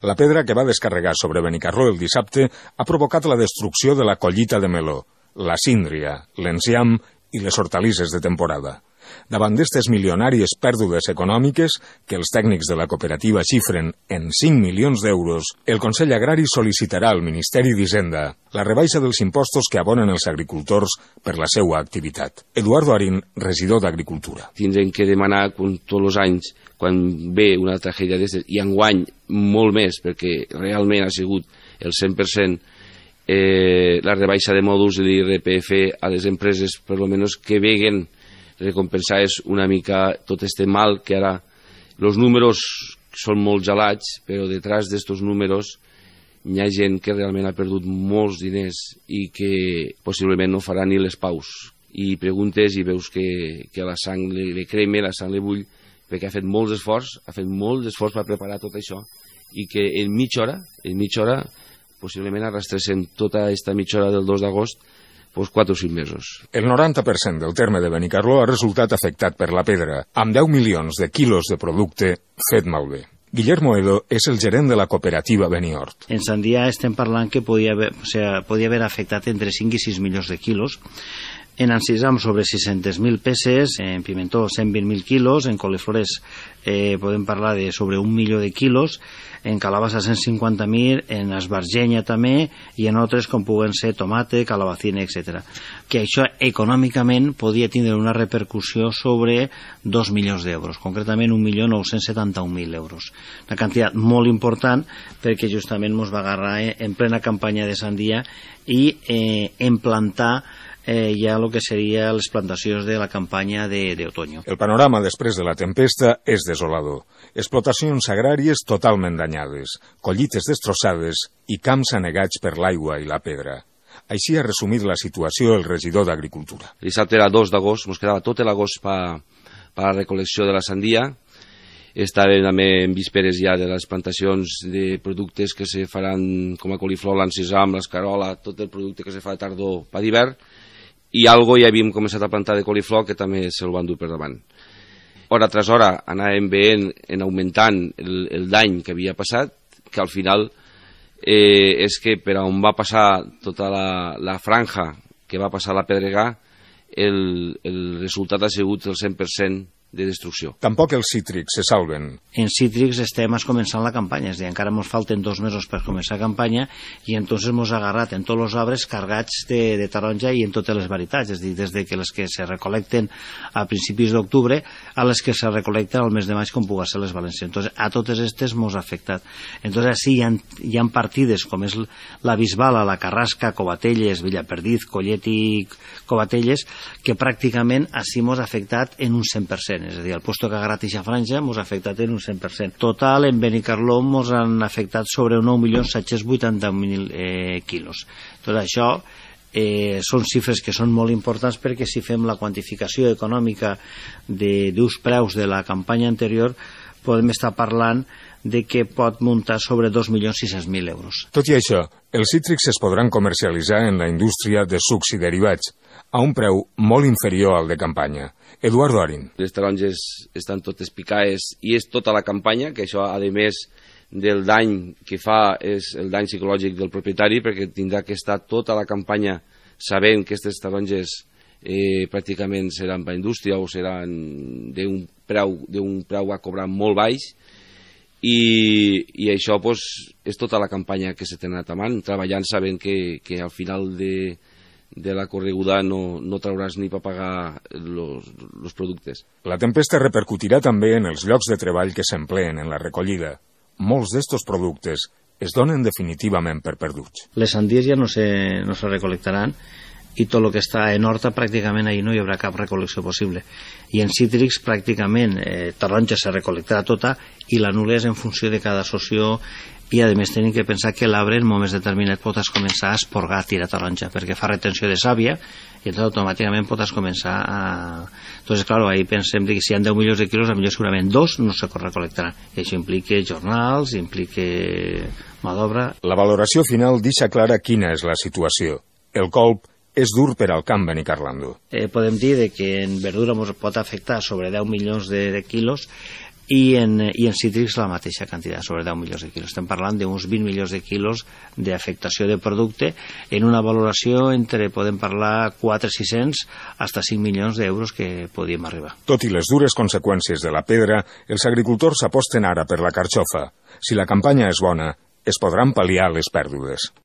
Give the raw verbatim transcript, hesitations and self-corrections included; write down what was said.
La pedra que va descarregar sobre Benicarló el dissabte ha provocat la destrucció de la collita de meló, la síndria, l'enciam i les hortalisses de temporada. Davant d'estes milionàries pèrdues econòmiques, que els tècnics de la cooperativa xifren en cinc milions d'euros, el Consell Agrari sol·licitarà al Ministeri d'Hisenda la rebaixa dels impostos que abonen els agricultors per la seva activitat. Eduardo Arín, regidor d'Agricultura. Tindrem que demanar, com tots els anys, quan ve una tragèdia d'aquestes, i enguany molt més, perquè realment ha sigut el cent per cent eh, la rebaixa de mòduls de l'I R P F a les empreses, per almenys que veguen recompensar és una mica tot este mal que ara els números són molt gelats, però detrás d'estos números hi ha gent que realment ha perdut molts diners i que possiblement no farà ni les paus. I preguntes i veus que, que la sang li, li crema, la sang li bull, perquè ha fet molts esforç, ha fet molt d'esforç per preparar tot això, i que en mitja hora, en mitja hora, possiblement arrastressin tota aquesta mitja hora del dos d'agost, doncs quatre o cinc mesos. El noranta per cent del terme de Benicarló ha resultat afectat per la pedra, amb deu milions de quilos de producte fet malbé. Guillermo Edo és el gerent de la cooperativa Benihort. En Sandia estem parlant que podia haver, o sigui, podia haver afectat entre cinc i sis milions de quilos. En encisam sobre sis-centes mil peces, en pimentó cent vint mil quilos, en coliflores eh, podem parlar de sobre un milió de quilos, en calabassa cent cinquanta mil, en esbargenya també, i en altres com puguen ser tomate, calabacina, etcètera. Que això econòmicament podia tindre una repercussió sobre dos milions d'euros, concretament un milió nou-cents setanta-un mil euros. Una quantitat molt important perquè justament ens va agarrar en plena campanya de sandia i eh, implantar Eh, ja el que seria les plantacions de la campanya d'otoño. El panorama després de la tempesta és desolador. Explotacions agràries totalment danyades, collites destrossades i camps anegats per l'aigua i la pedra. Així ha resumit la situació el regidor d'Agricultura. El dissabte era dos d'agost, ens quedava tot l'agost per a la recol·lecció de la sandia. Estàvem també en vísperes ja de les plantacions de productes que se faran com a coliflor, l'encisam, l'escarola, tot el producte que se fa de tardor per d'hivern. I algo ja havíem començat a plantar de coliflor que també se'l van dur per davant. Hora tras hora anàvem veient en augmentant el, el dany que havia passat, que al final eh, és que per on va passar tota la, la franja que va passar la pedregà, el, el resultat ha sigut el cent per cent de destrucció. Tampoc els cítrics se salven. En cítrics estem començant la campanya, és a dir, encara ens falten dos mesos per començar la campanya i entonces ens ha agarrat en tots els arbres cargats de, de taronja i en totes les varietats, és a dir, des de que les que se recolecten a principis d'octubre a les que se recolecten al mes de maig com pugui ser les valencianes. Entonces, a totes aquestes ens ha afectat. Entonces, sí, hi ha, hi ha partides com és la Bisbala, la Carrasca, Covatelles, Villaperdiz, Collet i Covatelles, que pràcticament així ens ha afectat en un cent per cent. És a dir, el puesto que ha agarrat aquesta franja ens ha afectat en un cent per cent. Total, en Benicarló ens han afectat sobre nou milions set-cents vuitanta mil eh, quilos. Tot això eh, són xifres que són molt importants perquè si fem la quantificació econòmica d'uns preus de la campanya anterior podem estar parlant de que pot muntar sobre dos milions sis-cents mil euros. Tot i això, els cítrics es podran comercialitzar en la indústria de sucs i derivats a un preu molt inferior al de campanya. Eduardo Arín. Les taronges estan totes picades i és tota la campanya, que això, a més del dany que fa, és el dany psicològic del propietari, perquè tindrà que estar tota la campanya sabent que aquestes taronges eh, pràcticament seran per indústria o seran d'un preu, d'un preu a cobrar molt baix, i, i això pues, és tota la campanya que s'ha anat amant, treballant sabent que, que al final de de la correguda no, no trauràs ni per pagar els productes. La tempesta repercutirà també en els llocs de treball que s'empleen en la recollida. Molts d'estos productes es donen definitivament per perduts. Les sandies ja no se, no se recolectaran i tot el que està en horta pràcticament ahir no hi haurà cap recol·lecció possible. I en cítrics pràcticament eh, taronja se recolectarà tota i la nul·la és en funció de cada soció. I a més tenim que pensar que l'arbre en moments determinats pots començar a esporgar, a tirar taronja, perquè fa retenció de sàvia i entonces automàticament pots començar a... Entonces, claro, ahí pensem que si hi ha deu milions de quilos, potser segurament dos no se recolectaran. I això implica jornals, implica mà d'obra. La valoració final deixa clara quina és la situació. El colp és dur per al camp benicarlando. Eh, podem dir que en verdura ens pot afectar sobre deu milions de, de quilos. i en, i en cítrics la mateixa quantitat, sobre deu milions de quilos. Estem parlant d'uns vint milions de quilos d'afectació de producte en una valoració entre, podem parlar, quatre cents sis-cents fins a cinc milions d'euros que podíem arribar. Tot i les dures conseqüències de la pedra, els agricultors aposten ara per la carxofa. Si la campanya és bona, es podran pal·liar les pèrdues.